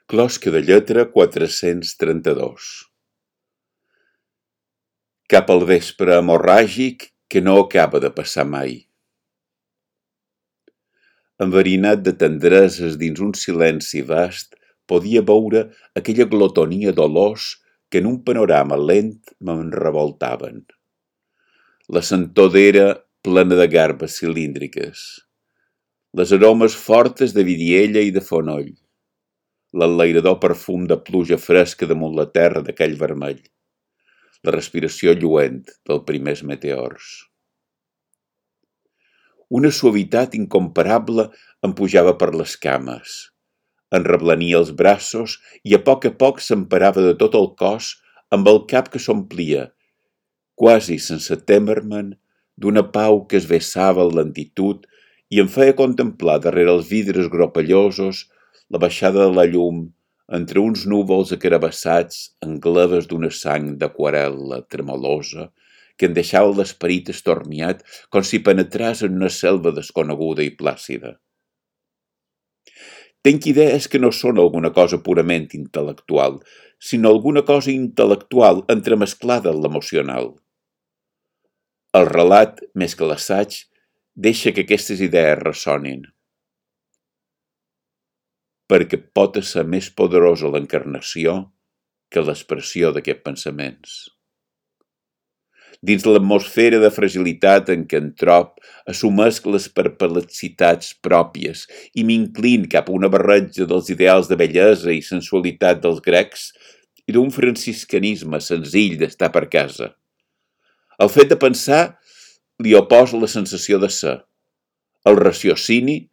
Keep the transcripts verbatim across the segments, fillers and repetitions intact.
Closca de lletra quatre-cents trenta-dos. Cap al vespre hemorràgic que no acaba de passar mai. Enverinat de tendreses dins un silenci vast, podia veure aquella glotonia d'olors que en un panorama lent me'n revoltaven. La sentor d'era plena de garbes cilíndriques, les aromes fortes de vidiella i de fonoll, l'enlairador perfum de pluja fresca damunt la terra d'aquell vermell, la respiració lluent dels primers meteors. Una suavitat incomparable em pujava per les cames, em reblania els braços i a poc a poc s'emparava de tot el cos amb el cap que s'omplia, quasi sense témer-me'n, d'una pau que es vessava en lentitud i em feia contemplar darrere els vidres gropellosos la baixada de la llum entre uns núvols acarabassats en gleves d'una sang d'aquarel·la tremolosa que em deixava l'esperit estormiat com si penetràs en una selva desconeguda i plàcida. Tenc idees que no són alguna cosa purament intel·lectual, sinó alguna cosa intel·lectual entremesclada en l'emocional. El relat, més que l'assaig, deixa que aquestes idees ressonin. Perquè pot ser més poderosa l'encarnació que l'expressió d'aquests pensaments. Dins l'atmosfera de fragilitat en què em trob, assumesc les perplexitats pròpies i m'inclin cap a una barreja dels ideals de bellesa i sensualitat dels grecs i d'un franciscanisme senzill d'estar per casa. El fet de pensar li oposa la sensació de ser, el raciocini,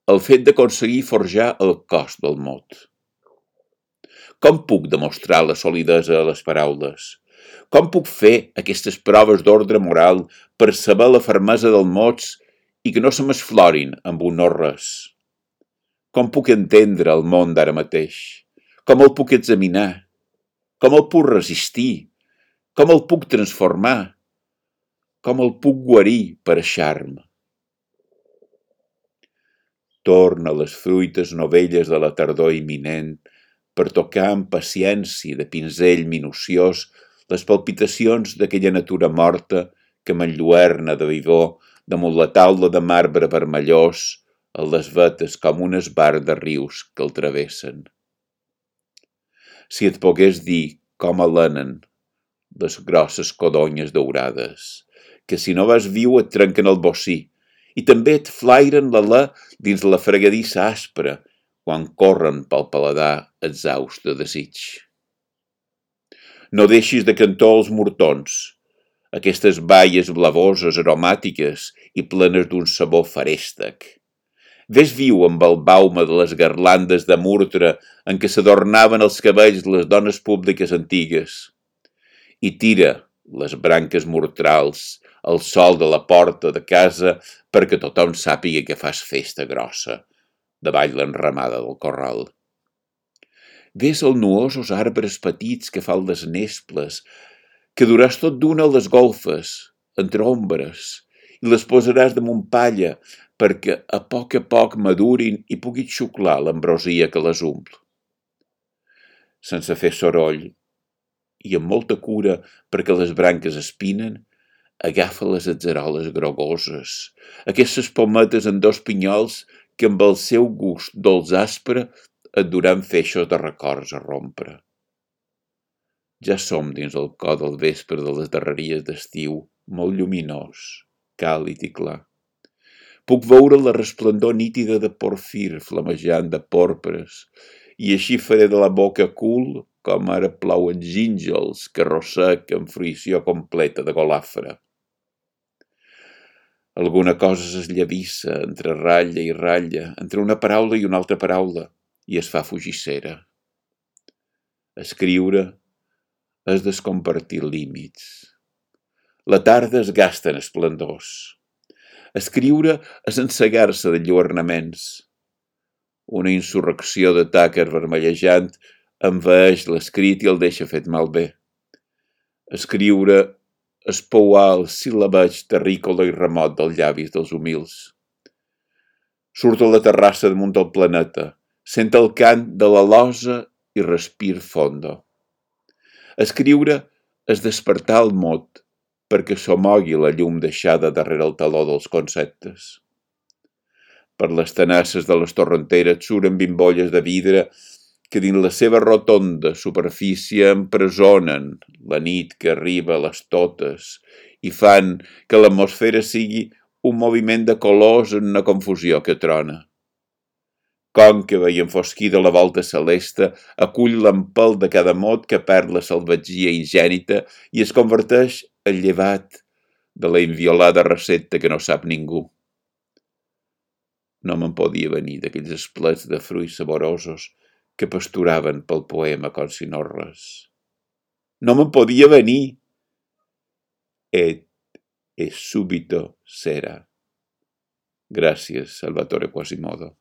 el fet d'aconseguir forjar el cos del mot. Com puc demostrar la solidesa de les paraules? Com puc fer aquestes proves d'ordre moral per saber la fermesa dels mots i que no se m'esflorin amb un no-res? Com puc entendre el món d'ara mateix? Com el puc examinar? Com el puc resistir? Com el puc transformar? Com el puc guarir per a charme? Torna les fruites novelles de la tardor imminent per tocar amb paciència de pinzell minuciós les palpitacions d'aquella natura morta que m'enlluerna de vigor damunt la taula de marbre vermellós en les vetes com un esbar de rius que el travessen. Si et pogués dir com alenen les grosses codonyes daurades, que si no vas viu et trenquen el bocí i també et flairen l'alè dins la fregadissa aspra quan corren pel paladar exhaust de desig. No deixis de cantó els mortons, aquestes baies blavoses, aromàtiques i plenes d'un sabor farèstec. Ves viu amb el baume de les garlandes de murtre en què s'adornaven els cabells les dones públiques antigues. I tira les branques mortrals al sol de la porta de casa perquè tothom sàpiga que fas festa grossa davall l'enramada del corral. Ves els nuosos arbres petits que fan les nesples, que duràs tot d'una a les golfes, entre ombres, i les posaràs damunt palla perquè a poc a poc madurin i puguis xuclar l'ambrosia que les ompl. Sense fer soroll i amb molta cura perquè les branques espinen, agafa les atzeroles grogoses, aquestes pometes en dos pinyols que amb el seu gust dolç aspre et duran feixos de records a rompre. Ja som dins el cor del vespre de les darreries d'estiu, molt lluminós, càlid i clar. Puc veure la resplendor nítida de porfir flamejant de pòrpres i així faré de la boca cul com ara plouen gínjols que rossec en fruïció completa de golafre. Alguna cosa s'esllavissa entre ratlla i ratlla, entre una paraula i una altra paraula, i es fa fugissera. Escriure és descompartir límits. La tarda es gasta en esplendors. Escriure és encegar-se de lluernaments. Una insurrecció de tàquer vermellejant envaeix l'escrit i el deixa fet malbé. Escriure és pouar el sil·labeig terrícola i remot dels llavis dels humils. Surt a la terrassa damunt del planeta, Sent el cant de la losa i respir fondo. Escriure és despertar el mot perquè s'omogui la llum deixada darrere el taló dels conceptes. Per les tenasses de les torrenteres suren bimbolles de vidre que dins la seva rotonda superfície empresonen la nit que arriba a les totes i fan que l'atmosfera sigui un moviment de colors en una confusió que trona. Còncava i enfosquida la volta celeste acull l'empelt de cada mot que perd la salvatgia ingènita i es converteix en llevat de la inviolada recepta que no sap ningú. No me'n podia venir d'aquells esplets de fruits saborosos que pasturaven pel poema com si no res. No me'n podia venir. Et e subito sera. Gràcies, Salvatore Quasimodo.